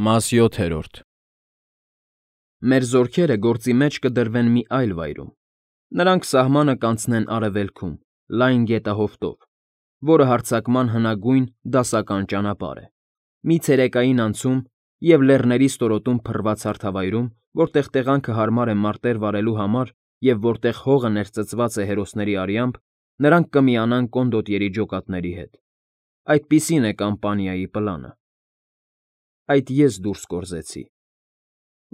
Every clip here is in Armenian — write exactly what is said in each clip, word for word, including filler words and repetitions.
Մաս յոթերորդ Մեր զորքերը գործի մեջ կդրվեն մի այլ վայրում. նրանք սահմանը կանցնեն արևելքում, լայն գետահովտով, որը հարձակման հնագույն դասական ճանապարհ է, մի ցերեկային անցում և լեռների ստորոտում փռված հարթավայրում, որտեղ տեղանքը հարմար է մարտեր վարելու համար և որտեղ հողը ներծծված է հերոսների արյամբ, նրանք կմիանան կոնդոտյերի ջոկատների հետ. այդպիսին է կամպանիայի պլանը. Այդ ես դուրս կորզեցի.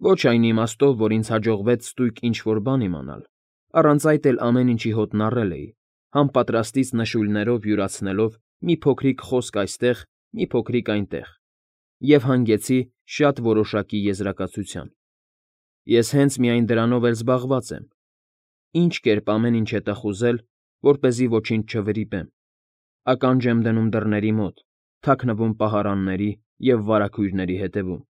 ոչ այն իմաստով, որ ինձ հաջողվեց ստույգ ինչ֊որ բան իմանալ, առանց այդ էլ ամեն ինչի հոտն առել էի, համապատրաստից նշույլներով յուրացնելով մի փոքրիկ խոսք այստեղ, մի փոքրիկ այնտեղ, և հանգեցի շատ որոշակի եզրակացության. ես հենց միայն դրանով էլ զբաղված եմ. ինչ կերպ ամեն ինչ հետախուզել, որպեսզի ոչինչ չվրիպեմ, ականջ եմ դնում դռների մոտ, թաքնվում պահարանների և վարագույրների ետևում,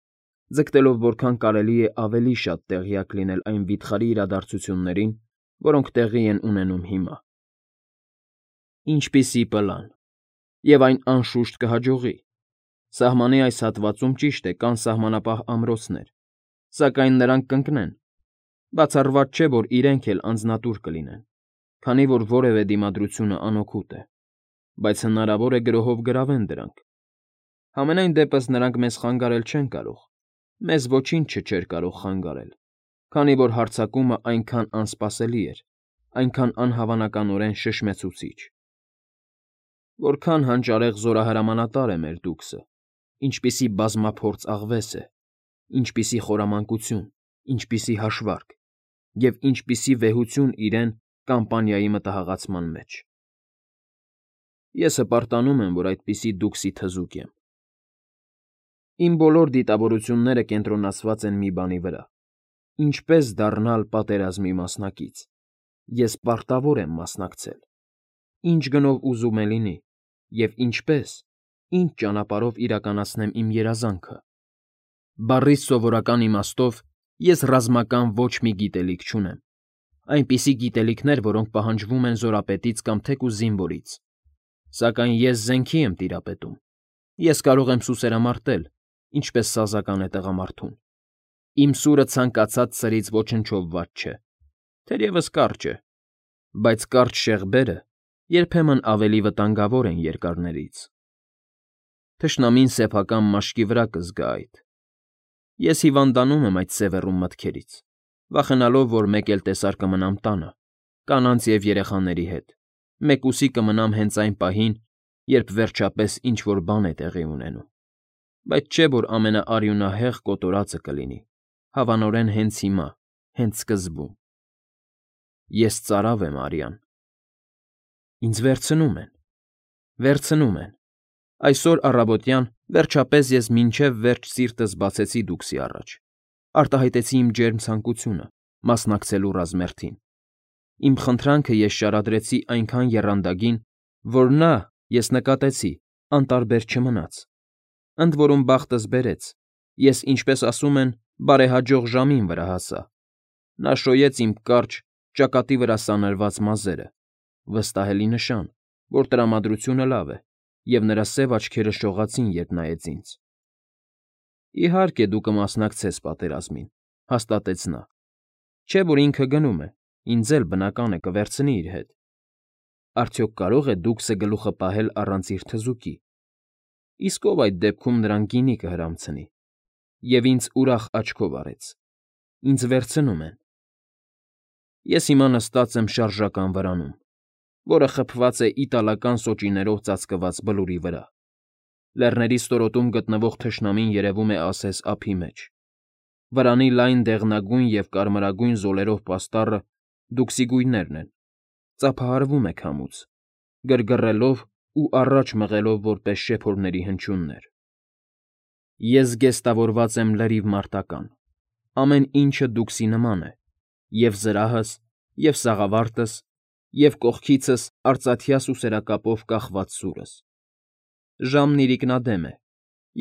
ձգտելով որքան կարելի է ավելի շատ տեղյակ լինել այն վիթխարի իրադարձություններին, որոնք տեղի են ունենում հիմա։ Ինչպիսի պլան… Եվ այն, անշուշտ, կհաջողի… Սահմանի այս հատվածում, ճիշտ է, կան սահմանապահ ամրոցներ, սակայն նրանք կընկնեն, բացառված չէ, որ իրենք էլ անձնատուր կլինեն, քանի որ որևէ դիմադրությունը անօգուտ է, բայց հնարավոր է գրոհով գրավեն դրանք։ Համենայն դեպս նրանք մեզ խանգարել չեն կարող, մեզ ոչինչ չէր կարող խանգարել, քանի որ հարձակումը այնքան անսպասելի էր, այնքան անհավանականորեն շշմեցուցիչ։ Որքան հանճարեղ զորահրամանատար է մեր դուքսը, ինչպիսի բազմափորձ աղվես է, ինչպիսի խորամանկություն, ինչպիսի հաշվարկ, և ինչպիսի վեհություն իրեն կամպանիայի մտահղացման մեջ։ Ես հպարտանում եմ, որ այդպիսի դուքսի թզուկ եմ։ Իմ բոլոր դիտավորությունները կենտրոնացված են մի բանի վրա. ինչպես դառնալ պատերազմի մասնակից։ Ես պարտավոր եմ մասնակցել։ Ինչ գնով ուզում է լինի, և ինչպես, ինչ ճանապարհով իրականացնեմ իմ երազանքը։ Բառիս սովորական իմաստով ես ռազմական ոչ մի գիտելիք չունեմ, այնպիսի գիտելիքներ, որոնք պահանջվում են զորապետից կամ թեկուզ զինվորից, սակայն ես զենքի եմ տիրապետում, ես կարող եմ սուսերամարտել, ինչպես սազական է տղամարդուն։ Իմ սուրը ցանկացած սրից ոչնչով վատ չէ, թերևս կարճ է, բայց կարճ շեղբերը երբեմն ավելի վտանգավոր են երկարներից։ Թշնամին սեփական մաշկի վրա կզգա այդ։ Ես հիվանդանում եմ այդ սևեռուն մտքերից, վախենալով, որ մեկ էլ տեսար կմնամ տանը, կանանց և երեխաների հետ, մեկուսի կմնամ հենց այն պահին, երբ վերջապես ինչ֊որ բան է տեղի ունենում, բայց չէ՞ որ ամենաարյունահեղ կոտորածը կլինի, հավանորեն հենց հիմա, հենց սկզբում։ Ես ծարավ եմ, Արիան։ Ինձ վերցնում են, վերցնում են… Այսօր առավոտյան, վերջապես ես մինչև վերջ սիրտս բացեցի դուքսի առաջ, արտահայտեցի իմ ջերմ ցանկությունը՝ մասնակցելու ռազմերթին։ Իմ խնդրանքը ես շարադրեցի այնքան եռանդագին, որ նա, ես նկատեցի, անտարբեր չմնաց։ Ընդ որում բախտս բերեց, ես, ինչպես ասում են, բարեհաջող ժամին վրա հասա։ Նա շոյեց իմ կարճ, ճակատի վրա սանրված մազերը, վստահելի նշան, որ տրամադրությունը լավ է, և նրա սև աչքերը շողացին, երբ նայեց ինձ։ Իհարկե, դու կմասնակցես պատերազմին, հաստատեց նա, չէ՞ որ ինքը գնում է, ինձ էլ, բնական է, կվերցնի իր հետ։ Արդյոք կարո՞ղ է դուքսը գլուխը պահել առանց իր թզուկի։ Իսկ ով այդ դեպքում նրան գինի կհրամցնի։ Եվ ինձ ուրախ աչքով արեց. ինձ վերցնում են։ Ես հիմա նստած եմ շարժական վրանում, որը խփված է իտալական սոճիներով ծածկված բլուրի վրա։ Լեռների ստորոտում գտնվող թշնամին երևում է ասես ափի մեջ։ Վրանի լայն դեղնագույն և կարմրագույն զոլերով պաստառը դուքսի գույներն են, ծափահարվում է քամուց, գրգռելով ու առաջ մղելով որպես շեփորների հնչյուններ։ Ես զգեստավորված եմ լրիվ մարտական, ամեն ինչը դուքսի նման է, և զրահս, և սաղավարտս, և կողքիցս արծաթյա սուսերակապով կախված սուրս։ Ժամն իրիկնադեմ է,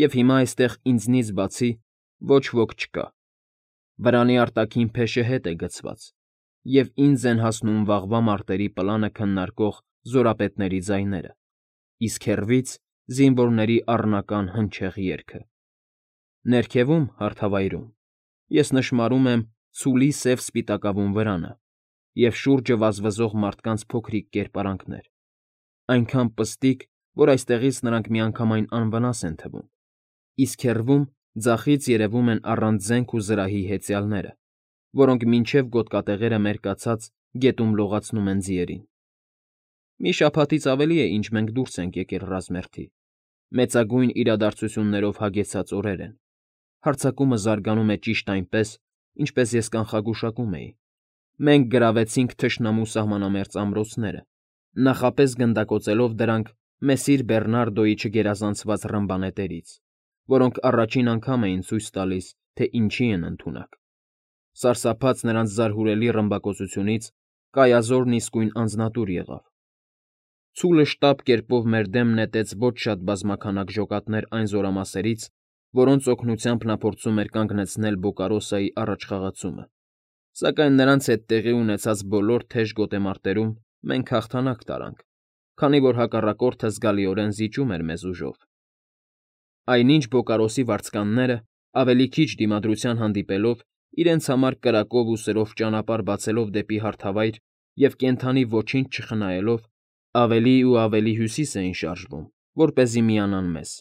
և հիմա այստեղ ինձնից բացի ոչ ոք չկա։ Վրանի արտաքին փեշը հետ է գցված, և ինձ են հասնում վաղվա մարտերի պլանը քննարկող զորապետների ձայները, իսկ հեռվից՝ զինվորների առնական հնչեղ երգը։ Ներքևում, հարթավայրում, ես նշմարում եմ ցուլի սև սպիտակավուն վրանը և շուրջը վազվզող մարդկանց փոքրիկ կերպարանքներ, այնքան պստիկ, որ այստեղից նրանք միանգամայն անվնաս են թվում, իսկ հեռվում ձախից երևում են առանց զենք ու զրահի հեծյալները, որոնք մինչև գոտկատեղերը մերկացած գետում լողացնում են ձիերին։ Մի շաբաթից ավելի է, ինչ մենք դուրս ենք եկել ռազմերթի, մեծագույն իրադարձություններով հագեցած օրեր են, հարձակումը զարգանում է ճիշտ այնպես, ինչպես ես կանխագուշակում էի, մենք գրավեցինք թշնամու սահմանամերձ ամրոցները, նախապես գնդակոծելով դրանք Մեսիր Բեռնարդոյի չգերազանցված ռմբանետերից, որոնք առաջին անգամ էին ցույց տալիս, թե ինչի են ընդունակ։ Սարսափած նրանց զարհուրելի ռմբակոծությունից Կայազորն իսկույն անձնատուր եղավ։ Ցուլը շտապ կերպով մեր դեմ նետեց ոչ շատ բազմաքանակ ջոկատներ այն զորամասերից, որոնց օգնությամբ նա փորձում էր կանգնեցնել Բոկարոսայի առաջխաղացումը, սակայն նրանց հետ տեղի ունեցած բոլոր թեժ գոտեմարտերում մենք հաղթանակ տարանք, քանի որ հակառակորդը զգալիորեն զիջում էր մեզ ուժով։ Այնինչ Բոկարոսի վարձկանները, ավելի քիչ դիմադրության հանդիպելով, իրենց համար կրակով ու սրով ճանապարհ բացելով դեպի հարթավայր և կենդանի ոչինչ չխնայելով, ավելի ու ավելի հյուսիս էին շարժվում, որպեսզի միանան մեզ։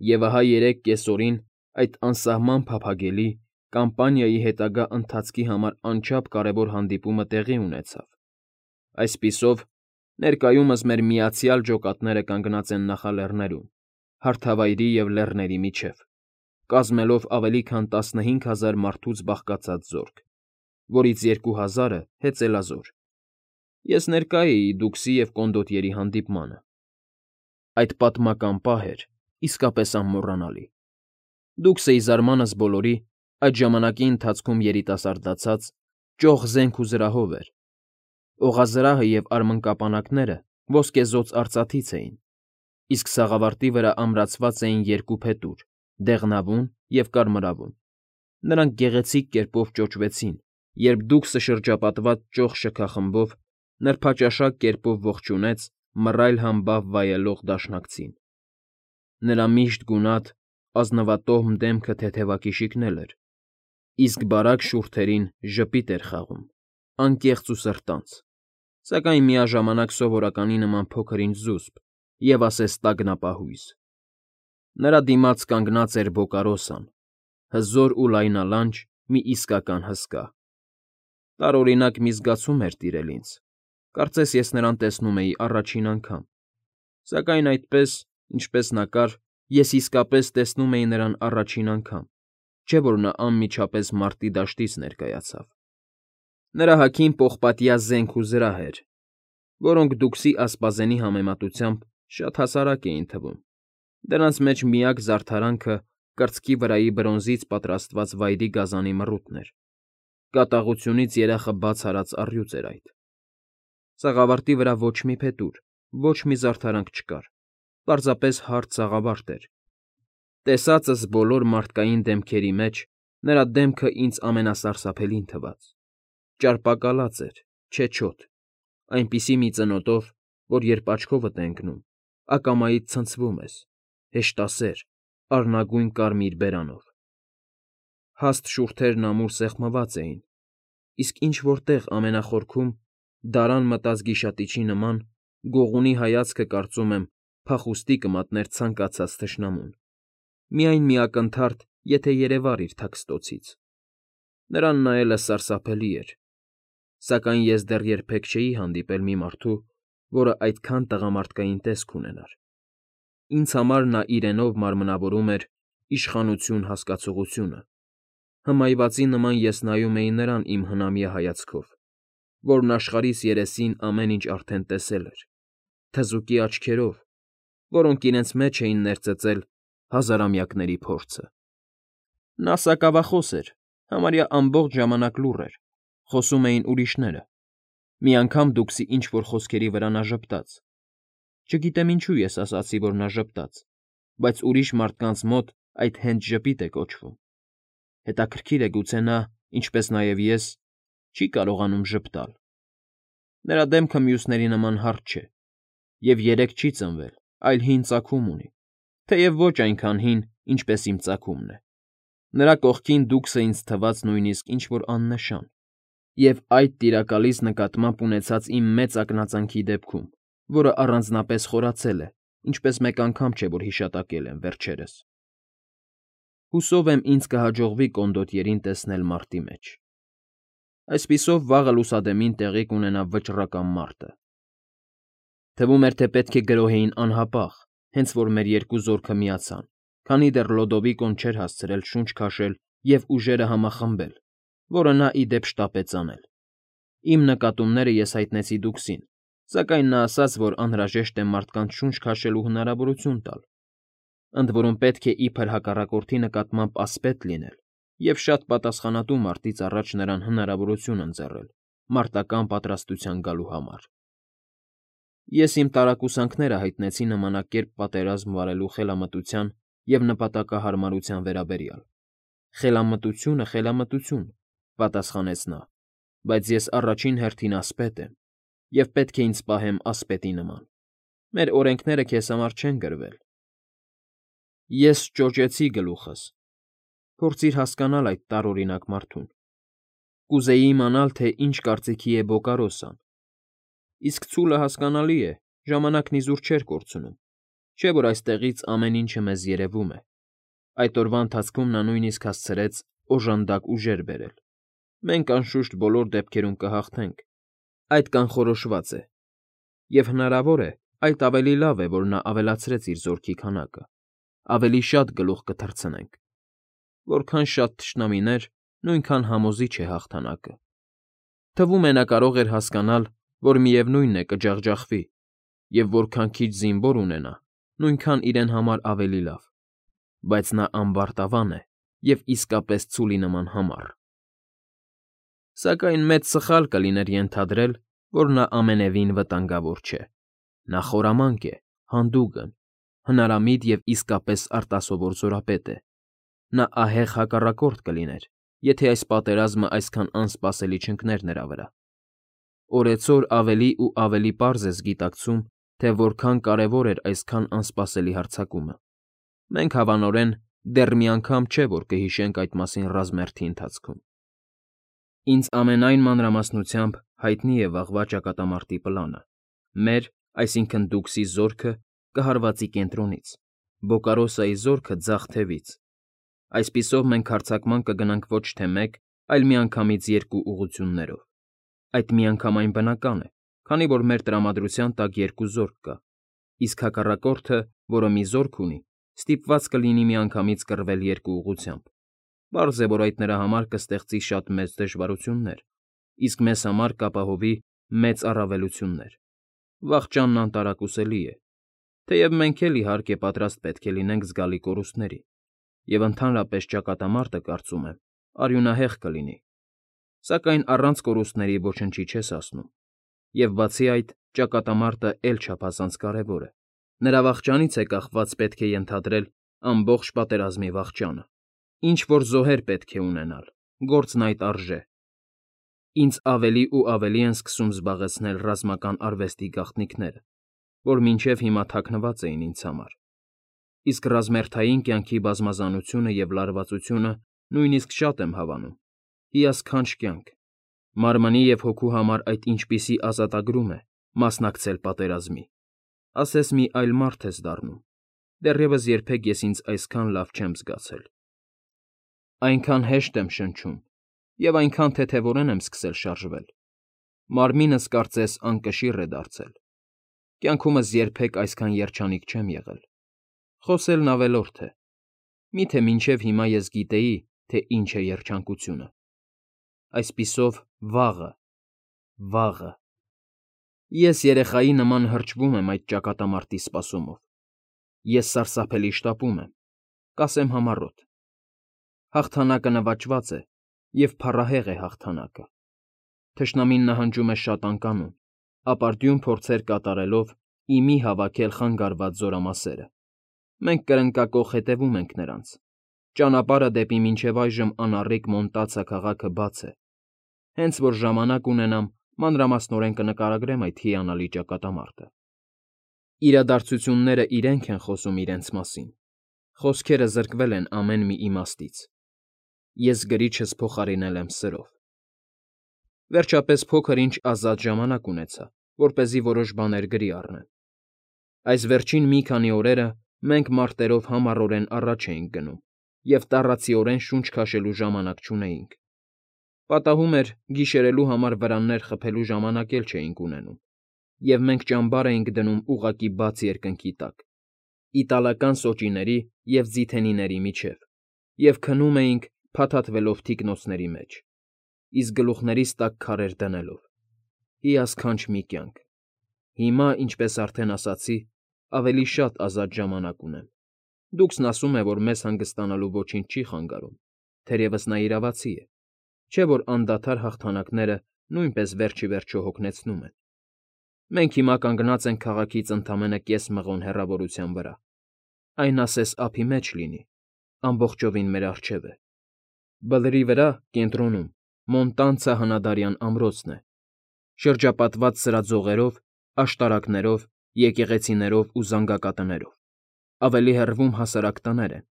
Եվ ահա երեք կեսօրին այդ անսահման փափագելի, կամպանիայի հետագա ընթացքի համար անչափ կարևոր հանդիպումը տեղի ունեցավ։ Այսպիսով, ներկայումս մեր միացյալ ջոկատները կանգնած են նախալեռներում, հարթավայրի և լեռների միջև, կազմելով ավելի քան տասնհինգ հազար մարդուց բաղկացած զորք, որից երկու հազարը հեծելազոր։ Ես ներկա էի Դուքսի և կոնդոտիերի հանդիպմանը։ Այդ պատմական պահ էր իսկապես անմոռանալի։ Դուքսը, ի զարմանս բոլորի, այդ ժամանակի ընթացքում երիտասարդացած, ճոխ զենք ու զրահով էր։ Օղազրահը և արմնկապանակները ոսկեզօծ արծաթից էին, իսկ սաղավարտի վրա ամրացված էին երկու փետուր՝ դեղնավուն և կարմրավուն։ Նրանք գեղեցիկ կերպով ճոճվեցին, երբ Դուքսը շրջապատված ճոխ շքախմբով նրբաճաշակ կերպով ողջունեց մռայլ համբավ վայելող դաշնակցին։ Նրա միշտ գունատ, ազնվատոհմ դեմքը թեթևակիշիկն էլ էր, իսկ բարակ շուրթերին ժպիտ էր խաղում, անկեղծ ու սրտանց, սակայն միաժամանակ սովորականի նման փոքր֊ինչ զուսպ և ասես տագնապահույզ։ Նրա դիմաց կանգնած էր Բոկարոսան, հզոր ու լայնալանջ մի իսկական հսկա։ Տարօրինակ մի զգացում էր տիրել ինձ, կարծես ես նրան տեսնում էի առաջին անգամ, սակայն այդպես, ինչպես նա կար, ես իսկապես տեսնում էի նրան առաջին անգամ, չէ՞ որ նա անմիջապես մարտի դաշտից ներկայացավ։ Նրա հագին պողպատյա զենք ու զրահ էր, որոնք Դուքսի ասպազենի համեմատությամբ շատ հասարակ էին թվում, դրանց մեջ միակ զարդարանքը կրծքի վրայի բրոնզից պատրաստված վայրի գազանի մռութն էր։ Կատաղությունից երախը բաց արած առյուծ էր այդ։ Սաղավարտի վրա ոչ մի փետուր, ոչ մի զարդարանք չկար, պարզապես հարթ սաղավարտ էր։ Տեսածս բոլոր մարդկային դեմքերի մեջ նրա դեմքը ինձ ամենասարսափելին թվաց։ Ճարպակալած էր, չեչոտ, այնպիսի մի ծնոտով, որ երբ աչքովդ է ընկնում, ակամայից ցնցվում ես, հեշտասեր, առնագույն կարմիր բերանով։ Հաստ շուրթերն ամուր սեղմված էին, իսկ ինչ֊որ տեղ ամենախորքում, դարան մտած գիշատիչի նման, գողունի հայացքը, կարծում եմ, փախուստի կմատներ ցանկացած թշնամուն, միայն մի ակնթարթ, եթե երևար իր թաքստոցից։ Նրան նայելը սարսափելի էր, սակայն ես դեռ երբեք չէի հանդիպել մի մարդու, որը այդքան տղամարդկային տեսք ունենար։ Ինձ համար նա իրենով մարմնավորում էր իշխանություն հասկացողությունը։ Հմայվածի նման ես նայում էի նրան իմ հնամյա հայացքով, որն աշխարհիս երեսին ամեն ինչ արդեն տեսել էր, թզուկի աչքերով, որոնք իրենց մեջ էին ներծծել հազարամյակների փորձը։ Նա սակավախոս էր, համարյա ամբողջ ժամանակ լուռ էր, խոսում էին ուրիշները։ Մի անգամ Դուքսի ինչ֊որ խոսքերի վրա նա ժպտաց։ Չգիտեմ ինչու ես ասացի, որ նա ժպտաց, բայց ուրիշ մարդկանց մոտ այդ հենց ժպիտ է կոչվում։ Հետաքրքիր է, գուցե նա, ինչպես նաև ես, չի կարողանում ժպտալ։ Նրա դեմքը մյուսների նման հարթ չէ, և երեկ չի ծնվել, այլ հին ծագում ունի, թեև ոչ այնքան հին, ինչպես իմ ծագումն է։ Նրա կողքին դուքսը ինձ թվաց նույնիսկ ինչ֊որ աննշան, և այդ տիրակալիս նկատմամբ ունեցած իմ մեծ ակնածանքի դեպքում, որը առանձնապես խորացել է, ինչպես մեկ անգամ չէ, որ հիշատակել եմ վերջերս։ Հուսով եմ ինձ կհաջողվի կոնդոտյերին տեսնել մարտի մեջ։ Այսպիսով վաղը լուսադեմին տեղի կունենա վճռական մարտը։ Թվում էր, թե պետք է գրոհեին անհապաղ, հենց որ մեր երկու զորքը միացան, քանի դեռ Լոդովիկոն չէր հասցրել շունչ քաշել և ուժերը համախմբել, որը նա, ի դեպ, շտապեց անել։ Իմ նկատումները ես հայտնեցի դուքսին, սակայն նա ասաց, որ անհրաժեշտ է մարդկանց շունչ քաշելու հնարավորություն տալ, ընդ որում պետք է իբր հակառակորդի նկատմամբ ասպետ լինել և շատ պատասխանատու մարտից առաջ նրան հնարավորություն ընձեռել մարտական պատրաստության գալու համար։ Ես իմ տարակուսանքները հայտնեցի նմանակերպ պատերազմ վարելու խելամտության և նպատակահարմարության վերաբերյալ։ Խելամտությունը, խելամտություն, պատասխանեց նա, բայց ես առաջին հերթին ասպետ եմ, և պետք է ինձ պահեմ ասպետի նման։ Մեր օրենքները քեզ համար չեն գրվել։ Ես ճոճեցի գլուխս։ Փորձիր հասկանալ այդ տարօրինակ մարդուն։ Կուզեի իմանալ, թե ինչ կարծիքի է Բոկարոսան։ Իսկ ցուլը, հասկանալի է, ժամանակն իզուր չէր կորցնում, չէ՞ որ այստեղից ամեն ինչը մեզ երևում է։ Այդ օրվա ընթացքում նա նույնիսկ հասցրեց օժանդակ ուժեր բերել։ Մենք, անշուշտ, բոլոր դեպքերում կհաղթենք, այդ կանխորոշված է, և հնարավոր է, այդ ավելի լավ է, որ նա ավելացրեց իր զորքի քանակը, ավելի շատ գլուխ կթռցնենք։ Որքան շատ թշնամիներ, նույնքան համոզիչ է հաղթանակը։ Թվում է, նա կարող էր հասկանալ, որ միևնույն է կջախջախվի, և որքան քիչ զինվոր ունենա, նույնքան իրեն համար ավելի լավ, բայց նա ամբարտավան է և իսկապես ցուլի նման համառ։ Սակայն մեծ սխալ կլիներ ենթադրել, որ նա ամենևին վտանգավոր չէ։ Նա խորամանկ է, հանդուգն, հնարամիտ և իսկապես արտասովոր զորապետ է։ Նա ահեղ հակառակորդ կլիներ, եթե այս պատերազմը այսքան անսպասելի չընկներ նրա վրա։ Օրեցօր ավելի ու ավելի պարզ ես գիտակցում, թե որքան կարևոր էր այսքան անսպասելի հարձակումը։ Մենք, հավանորեն, դեռ մի անգամ չէ, որ կհիշենք այդ մասին ռազմերթի ընթացքում։ Ինձ ամենայն մանրամասնությամբ հայտնի է վաղվա ճակատամարտի պլանը։ Մեր, այսինքն՝ դուքսի զորքը կհարվածի կենտրոնից, Բոկարոսայի զորքը՝ ձախ թևից։ Այսպիսով մենք հարձակման կգնանք ոչ թե մեկ, այլ միանգամից երկու ուղղություններով։ Այդ միանգամայն բնական է, քանի որ մեր տրամադրության տակ երկու զորք կա, իսկ հակառակորդը, որը մի զորք ունի, ստիպված կլինի միանգամից կռվել երկու ուղղությամբ։ Պարզ է, որ այդ նրա համար կստեղծի շատ մեծ դժվարություններ, իսկ մեզ համար կապահովի մեծ առավելություններ։ Վախճանն անտարակուսելի է, թեև մենք էլ, իհարկե, պատրաստ պետք է լինենք զգալի կորուստների, և ընդհանրապես ճակատամարտը, կարծում եմ, արյունահեղ կլինի, սակայն առանց կորուստների ոչնչի չես հասնում, և բացի այդ, ճակատամարտը էլ չափազանց կարևոր է։ Նրա վախճանից է կախված, պետք է ենթադրել, ամբողջ պատերազմի վախճանը։ Ինչ֊որ զոհեր պետք է ունենալ, գործն այդ արժե։ Ինձ ավելի ու ավելի են սկսում զբաղեցնել ռազմական արվեստի գաղտնիքները, որ մինչև հիմա թաքնված էին ինձ համար։ Իսկ ռազմերթային կյանքի բազմազանությունը և լարվածությունը նույնիսկ շատ եմ հավանում։ Հիասքանչ կյանք։ Մարմնի և հոգու համար այդ ինչպիսի ազատագրում է մասնակցել պատերազմի։ Ասես մի այլ մարդ ես դառնում։ Դեռևս երբեք ես ինձ այսքան լավ չեմ զգացել։ Այնքան հեշտ եմ շնչում և այնքան թեթևորեն եմ սկսել շարժվել։ Մարմինս, կարծես, անկշիռ է դարձել։ Կյանքումս երբեք այսքան երջանիկ չեմ եղել։ Խոսելն ավելորդ է։ Մի՞թե մինչև հիմա ես գիտեի, թե ինչ է երջանկությունը։ Այսպիսով, վաղը, վաղը… Ես երեխայի նման հրճվում եմ այդ ճակատամարտի սպասումով։ Ես սարսափելի շտապում եմ, կասեմ համառոտ։ Հաղթանակը նվաճված է, և փառահեղ է հաղթանակը։ Թշնամին նահանջում է շատ անկանոն, ապարդյուն փորձեր կատարելով ի մի հավաքել խանգարված զորամասերը։ Մենք կրնկակոխ հետևում ենք նրանց։ Ճանապարհը դեպի մինչև այժմ անառիկ Մոնտացա քաղաքը բաց է։ Հենց որ ժամանակ ունենամ, մանրամասնորեն կնկարագրեմ այդ հիանալի ճակատամարտը։ Իրադարձությունները իրենք են խոսում իրենց մասին։ Խոսքերը զրկվել են ամեն մի իմաստից։ Ես գրիչս փոխարինել եմ սրով։ Վերջապես փոքր-ինչ ազատ ժամանակ ունեցա, որպեսզի որոշ բաներ գրի առնեմ։ Այս վերջին մի քանի օրերը մենք մարտերով համառորեն առաջ էինք գնում և տառացիորեն շունչ քաշելու ժամանակ չունեինք։ Պատահում էր, գիշերելու համար վրաններ խփելու ժամանակ էլ չէինք ունենում, և մենք ճամբար էինք դնում ուղղակի բաց երկնքի տակ, իտալական սոճիների և ձիթենիների միջև, և քնում էինք փաթաթվելով թիկնոցների մեջ, իսկ գլուխներիս տակ քարեր դնելով։ Հիասքանչ մի կյանք։ Հիմա, ինչպես արդեն ասացի, ավելի շատ ազատ ժամանակ ունեմ։ Դուքսն ասում է, որ մեզ հանգստանալու ոչինչ չի խանգարում, թերևս նա իրավացի է, չէ՞ որ անդադար հաղթանակները նույնպես վերջ ի վերջո հոգնեցնում են։ Մենք հիմա կանգնած ենք քաղաքից ընդամենը կես մղոն հեռավորության վրա, այն ասես ափի մեջ լինի, ամբողջովին մեր առջև է։ Բլրի վրա, կենտրոնում, Մոնտանցա հնադարյան ամրոցն է, շրջապատված սրածողերով, աշտարակներով, եկեղեցիներով ու զանգակատներով, ավելի հեռվում հասարակ տներ են,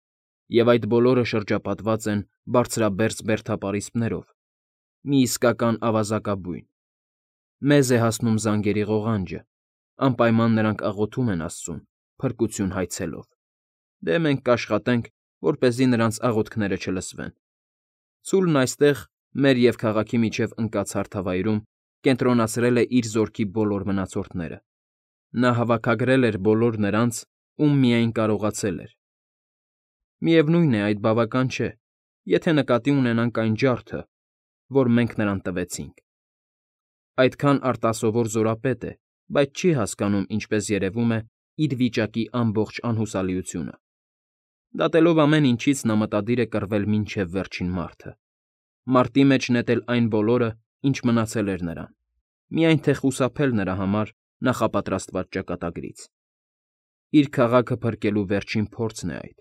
և այդ բոլորը շրջապատված են բարձրաբերձ բերդապարիսպներով, մի իսկական ավազակաբույն։ Մեզ է հասնում զանգերի ղողանջը, անպայման նրանք աղոթում են աստծուն, փրկություն հայցելով։ Դե մենք կաշխատենք, որպեսզի նրանց աղոթքները չլսվեն։ Ցուլն այստեղ, մեր և քաղաքի միջև ընկած հարթավայրում, կենտրոնացրել է իր զորքի բոլոր մնացորդները։ Նա հավաքագրել էր բոլոր նրանց, ում միայն կարողացել էր։ Միևնույն է, այդ բավական չէ, եթե նկատի ունենանք այն ջարդը, որ մենք նրան տվեցինք։ Այդքան արտասովոր զորապետ է, բայց չի հասկանում, ինչպես երևում է, իր վիճակի ամբողջ անհուսալիությունը։ Դատելով ամեն ինչից նա մտադիր է կռվել մինչև վերջին մարտը, մարտի մեջ նետել այն բոլորը, ինչ մնացել էր նրան, միայն թե խուսափել նրա համար նախապատրաստված ճակատագրից։ Իր քաղաքը փրկելու վերջին փորձն է այդ։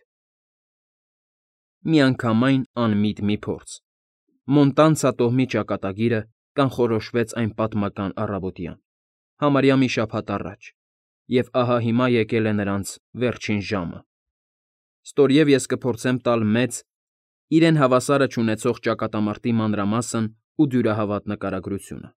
Միանգամայն անմիտ մի փորձ։ Մոնտանցա տոհմի ճակատագիրը կանխորոշվեց այն պատմական առավոտյան, համարյա մի շաբաթ առաջ, և ահա հիմա եկել է նրանց վերջին ժամը։ Ստորև ես կփորձեմ տալ մեծ, իրեն հավասարը չունեցող ճակատամարտի մանրամասն ու դյուրահավատ նկարագրությունը։